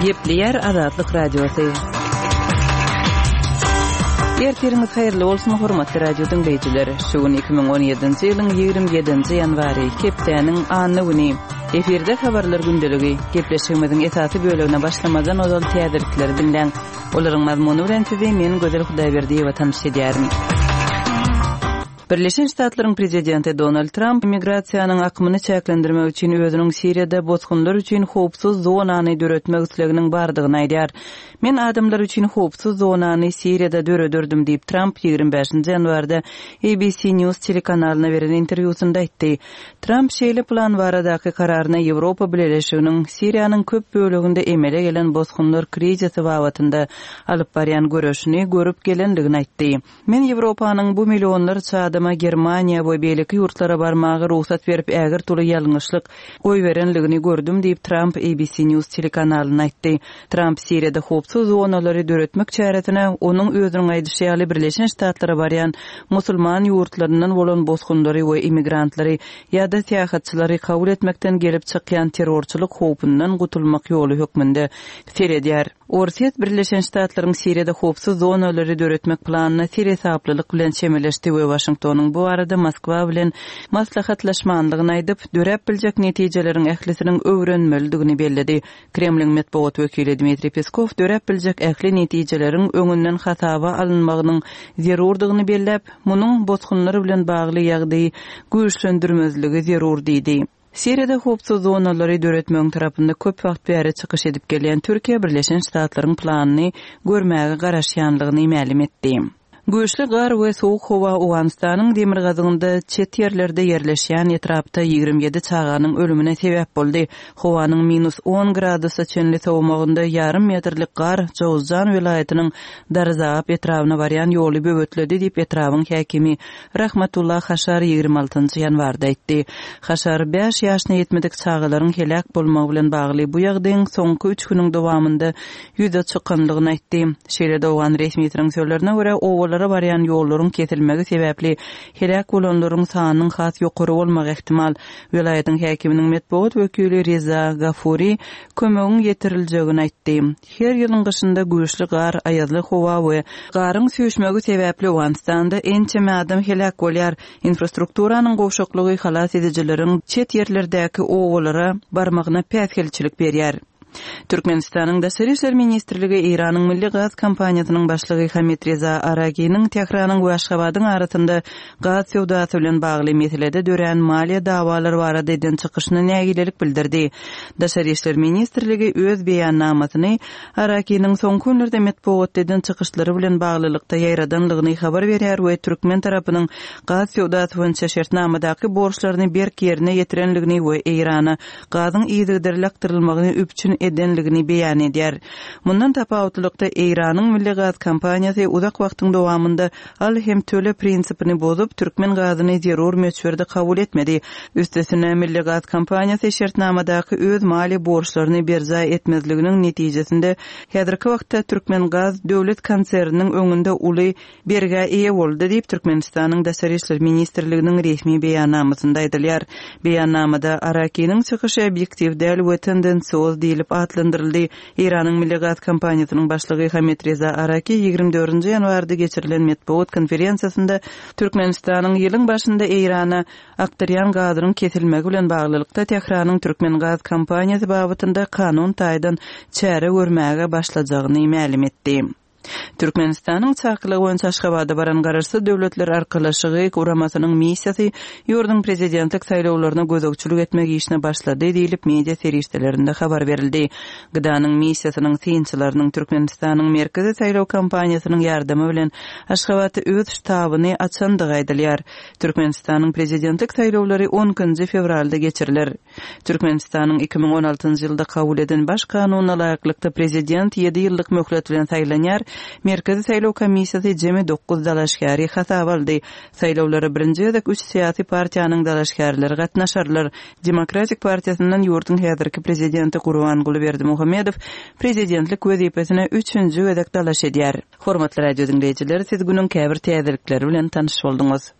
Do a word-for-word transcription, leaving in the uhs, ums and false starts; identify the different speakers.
Speaker 1: Gepleýär Azatlyk Radiosy. Ertiriňiz haýyrly bolsun, hormatly radio diňleýjiler. Şu gün iki müň on ýedinji ýylyň ýigrimi ýedinji ýanwary, hepdäniň anna güni. Efirde habarlar gündeligi. Gepleşigimiziň esasy bölegine başlamazdan ozal täzelikleri diňläň. Olaryň mazmuny bilen sizi men Gözel Hudaýberdiýewa tanyş edýärin. Birleşen Ştatlaryň prezidenti Donald Tramp migrasiýanyň akymyny çäklendirmek üçin özüniň Siriýada bosgunlar üçin howpsuz zonany döretmek isleginiň bardygyny aýdýar. Men adamlar üçin howpsuz zonany Siriýada dörederdim diýip Tramp ýigrimi bäşinji ýanwarda A B C News telekanalyna beren interwýusynda aýtdy. Tramp şeýle plan baradaky kararyna Ýewropa Bileleşiginiň Siriýanyň köp böleginde emele gelen bosgunlar krizisi babatynda alyp barýan göreşini görüp gelendigini aýtdy. Men Ýewropanyň bu millionlarça adama Germaniýa we beýleki ýurtlara barmaga rugsat berip ägirt uly ýalňyşlyk goýberenligini gördüm diýip Tramp A B C News telekanalyna aýtdy. Tramp Siriýada howpsuz zonalary döretmek çäresine onuň özüniň aýdyşy ýaly Birleşen Ştatlara barýan musulman ýurtlaryndan bolan bosgunlary we immigrantlary ýa-da syýahatçylary kabul etmekden gelip çykýan terrorçylyk howpundan gutulmak ýoly hökmünde seredýär. Orsýet Birleşen Ştatlaryň Siriýada howpsuz zonalary döretmek planyna seresaplylyk bilen çemeleşdi we Waşingtonyň bu arada Moskwa bilen maslahatlaşmanlygyny aýdyp, döräp biljek netijeleriň ählisiniň öwrenmelidigini belledi. Kremliň metbugat wekili Dmitriý Peskow döräp biljek ähli netijeleriň öňünden hasaba alynmagynyň zerurdygyny belläp, munuň bosgunlar bilen bagly ýagdaýy güýçlendirmezligi zerur diýdi. Siriýada howpsuz zonalary döretmegiň tarapynda köp wagt bäri çykyş edip gelýän Türkiýe Birleşen Ştatlaryň planyny görmäge garaşýanlygyny mälim etdi. Güýçli gar we soğuk howa Owganystanyň demirgazygynda çet ýerlerde ýerleşýän etrapda ýigrimi ýedi çaganyň ölümine sebäp boldy. Howanyň minus on gradusa çenli sowmagynda ýarym metrlik gar Jowzjan welaýatynyň Darzap etrabyna barýan ýoly böwetledi diýip etrabyň häkimi Rahmatullah Haşar ýigrimi altynjy ýanwarda aýtdy. Haşar bäş ýaşyna ýetmedik çagalaryň heläk bolmagy bilen bagly bu ýagdaýyň soňky üç günüň dowamynda ýüze çykanlygyny aýtdy. Şeýle-de Owgan resmiýetiniň sözlerine görä owalara barýan ýollaryň kesilmegi sebäpli heläk bolanlaryň sanynyň has ýokary bolmagy ähtimal. Welaýatyň häkiminiň metbugat wekili Reza Gafuri kömegiň ýetiriljegini aýtdy. Her ýylyň gyşynda güýçli gar, aýazly howa we garyň süýşmegi sebäpli Owganystanda ençeme adam heläk bolýar. Infrastrukturanyň gowşaklygy halas edijileriň çet ýerlerdäki owalara barmagyna päsgelçilik berýär. Türkmenistanyň Daşary İşler Ministrligi Eýranyň Milli Gaz Kompaniýasynyň başlygy Hamid Reza Araginiň Tähranyň we Aşgabadyň arasynda gaz söwdasy bilen bagly meselede dörän maliýe dawalary barada eden çykyşyna nägilelik bildirdi. Daşary İşler Ministrligi öz beýannamasyny Araginiň soňky günlerde metbugatda eden çykyşlary bilen baglylykda ýaýradanlygyny habar berýär we türkmen tarapynyň gaz söwdasy boýunça şertnamadaky borçlaryny berk ýerine ýetirenligini we Eýrana gazyň yzygiderli akdyrylmagyny üpjün edenligini beýan edýär. Mundan tapawutlylykda Eýranyň Milli Gaz Kompaniýasy uzak wagtyň dowamynda al hem töle prinsipini bozup, türkmen gazyny zerur möçberde kabul etmedi. Üstesine Milli Gaz Kompaniýasy şertnamadaky öz maliýe borçlaryny berjaý etmezliginiň netijesinde häzirki wagtda Türkmen Gaz döwlet konserniniň öňünde uly bergä eýe boldy diýip Türkmenistanyň Daşary İşler Ministrliginiň resmi beýannamasynda aýdylýar. Beýannamada Arakiniň çykyşy obýektiw däl we tendensioz diýlip atlandyryldy. Eýranyň Milli Gaz Kompaniýasynyň başlygy Hamid Reza Araki ýigrimi dördünji ýanwarda geçirilen metbugat konferensiýasynda Türkmenistanyň ýylyň başynda Eýrana akdyrýan gazynyň kesilmegi bilen baglylykda Tähranyň Türkmen Gaz Kompaniýasy babatynda kanun taýdan çäre görmäge başlajagyny mälim etdi. Türkmenistanyň çakylygy boýunça Aşgabada baran Garaşsyz Döwletler Arkalaşygy guramasynyň missiýasy ýurduň prezidentlik saýlawlaryna gözegçilik etmek işine başlady diýlip media serişdelerinde habar berildi. Gdanyň missiýasynyň synçylarynyň Türkmenistanyň Merkezi saýlaw kampaniýasynyň ýardamy bilen Aşgabatda öz ştabyny açandygy aýdylýar. Türkmenistanyň prezidentlik saýlawlary on ikinji fewralda geçiriler. Türkmenistanyň iki müň on altynjy ýylda kabul eden baş kanunyna laýyklykda prezident ýedi ýyllyk möhlet bilen saýlanýar. Merkezi saýlaw komissiýasy jemi dokuz dalaşgäri hasaba aldy. Saýlawlara birinji gezek üç syýasy partiýanyň dalaşgärleri gatnaşarlar. Demokratik partiýasyndan ýurduň häzirki prezidenti Gurbanguly Berdimuhamedow prezidentlik wezipesine üçünji gezek dalaş edýär. Hormatly radio dinleýjiler, siz günüň käbir täzelikleri bilen tanyş bolduňyz.